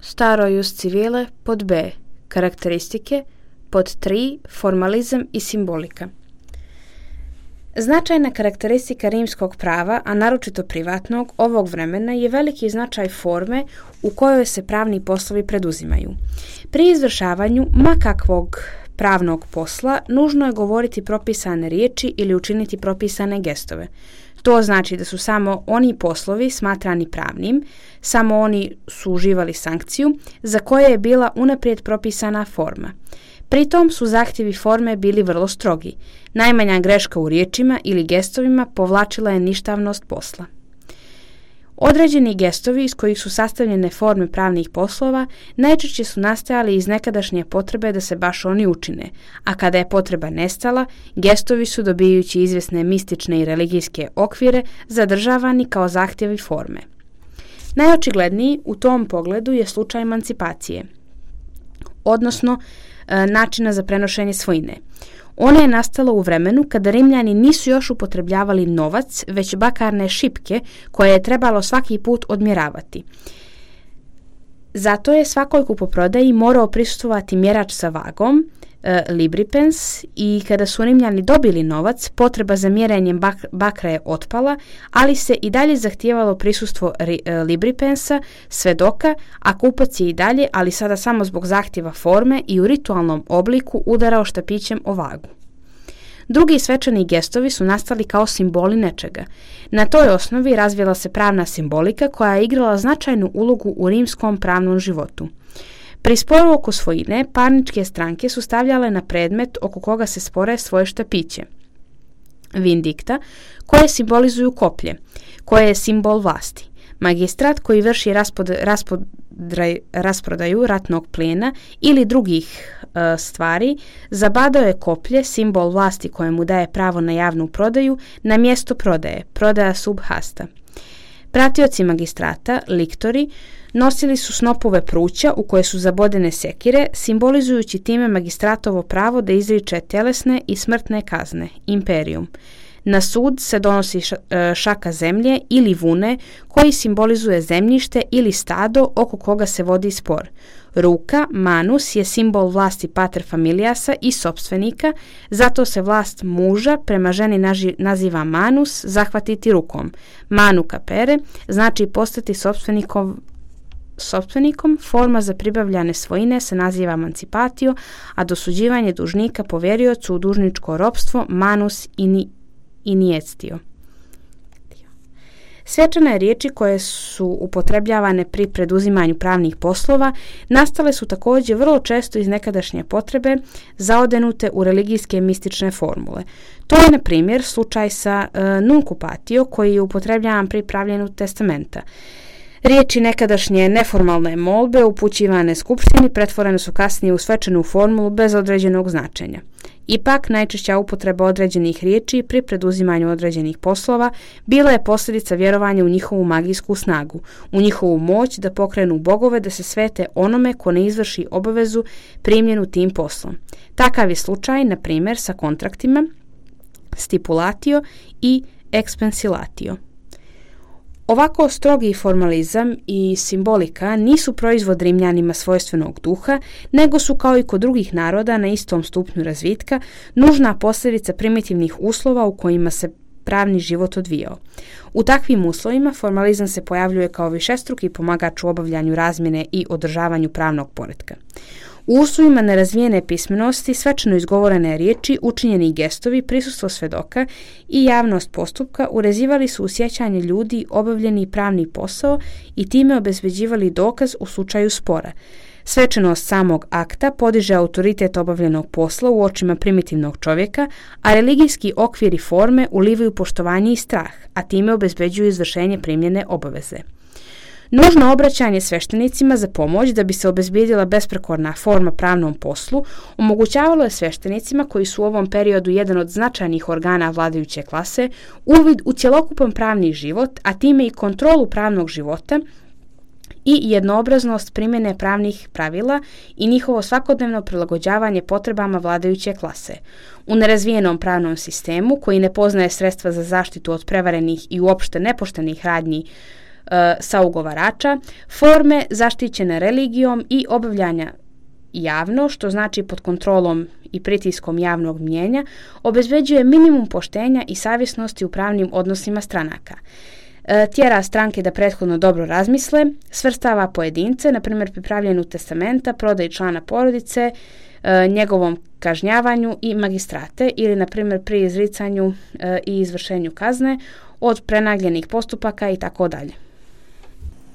staro jus civile, pod B. Karakteristike, pod 3. Formalizam i simbolika. Značajna karakteristika rimskog prava, a naročito privatnog, ovog vremena je veliki značaj forme u kojoj se pravni poslovi preduzimaju. Pri izvršavanju makakvog pravnog posla nužno je govoriti propisane riječi ili učiniti propisane gestove. To znači da su samo oni poslovi smatrani pravnim, samo oni su uživali sankciju za koje je bila unaprijed propisana forma. Pritom su zahtjevi forme bili vrlo strogi. Najmanja greška u riječima ili gestovima povlačila je ništavnost posla. Određeni gestovi iz kojih su sastavljene forme pravnih poslova najčešće su nastajali iz nekadašnje potrebe da se baš oni učine, a kada je potreba nestala, gestovi su, dobijajući izvjesne mistične i religijske okvire, zadržavani kao zahtjevi forme. Najočigledniji u tom pogledu je slučaj emancipacije, odnosno načina za prenošenje svojine. Ona je nastala u vremenu kada Rimljani nisu još upotrebljavali novac, već bakarne šipke koje je trebalo svaki put odmjeravati. Zato je svakoj kupoprodaji morao prisustvovati mjerač sa vagom, libripens, i kada su Rimljani dobili novac, potreba za mjerenjem bakra je otpala, ali se i dalje zahtijevalo prisustvo libripensa, svedoka, a kupac je i dalje, ali sada samo zbog zahtjeva forme i u ritualnom obliku, udarao štapićem o vagu. Drugi svečani gestovi su nastali kao simboli nečega. Na toj osnovi razvila se pravna simbolika koja je igrala značajnu ulogu u rimskom pravnom životu. Pri sporu oko svojine, parničke stranke su stavljale na predmet oko koga se spore svoje štapiće, vindikta, koje simbolizuju koplje, koje je simbol vlasti, magistrat koji vrši rasprodaju ratnog plijena ili drugih stvari, zabadao je koplje, simbol vlasti kojemu daje pravo na javnu prodaju, na mjesto prodaje, prodaja sub hasta. Pratioci magistrata, liktori, nosili su snopove pruća u koje su zabodene sekire, simbolizujući time magistratovo pravo da izriče tjelesne i smrtne kazne, imperium. Na sud se donosi šaka zemlje ili vune koji simbolizuje zemljište ili stado oko koga se vodi spor. Ruka, manus, je simbol vlasti pater familiasa i sopstvenika, zato se vlast muža prema ženi naziva manus, zahvatiti rukom. Manu capere znači postati sopstvenikom, forma za pribavljane svojine se naziva emancipatio, a dosuđivanje dužnika poveriocu u dužničko ropstvo manus iniestio. Svečane riječi koje su upotrebljavane pri preduzimanju pravnih poslova nastale su također vrlo često iz nekadašnje potrebe zaodenute u religijske mistične formule. To je, na primjer, slučaj sa nuncupatio koji je upotrebljavan pri pravljenju testamenta. Riječi nekadašnje neformalne molbe upućivane skupštini pretvorene su kasnije u svečanu formulu bez određenog značenja. Ipak, najčešća upotreba određenih riječi pri preduzimanju određenih poslova bila je posljedica vjerovanja u njihovu magijsku snagu, u njihovu moć da pokrenu bogove da se svete onome ko ne izvrši obavezu primljenu tim poslom. Takav je slučaj, na primjer, sa kontraktima, stipulatio i expensilatio. Ovako strogi formalizam i simbolika nisu proizvod Rimljanima svojstvenog duha, nego su, kao i kod drugih naroda na istom stupnju razvitka, nužna posljedica primitivnih uslova u kojima se pravni život odvijao. U takvim uslovima formalizam se pojavljuje kao višestruki pomagač u obavljanju razmjene i održavanju pravnog poretka. U uslovima nerazvijene pismenosti, svečano izgovorene riječi, učinjeni gestovi, prisustvo svedoka i javnost postupka urezivali su u sjećanje ljudi obavljeni pravni posao i time obezbeđivali dokaz u slučaju spora. Svečanost samog akta podiže autoritet obavljenog posla u očima primitivnog čovjeka, a religijski okviri forme ulivaju poštovanje i strah, a time obezbeđuju izvršenje primljene obaveze. Nužno obraćanje sveštenicima za pomoć da bi se obezbijedila besprekorna forma pravnom poslu omogućavalo je sveštenicima, koji su u ovom periodu jedan od značajnih organa vladajuće klase, uvid u cjelokupan pravni život, a time i kontrolu pravnog života i jednoobraznost primjene pravnih pravila i njihovo svakodnevno prilagođavanje potrebama vladajuće klase. U nerazvijenom pravnom sistemu, koji ne poznaje sredstva za zaštitu od prevarenih i uopšte nepoštenih radnji saugovarača, forme zaštićene religijom i obavljanja javno, što znači pod kontrolom i pritiskom javnog mnijenja, obezbeđuje minimum poštenja i savjesnosti u pravnim odnosima stranaka. Tjera stranke da prethodno dobro razmisle, svrstava pojedince, na primjer pri pravljenju testamenta, prodaji člana porodice, njegovom kažnjavanju i magistrate ili, na primjer, pri izricanju i izvršenju kazne od prenagljenih postupaka i tako dalje.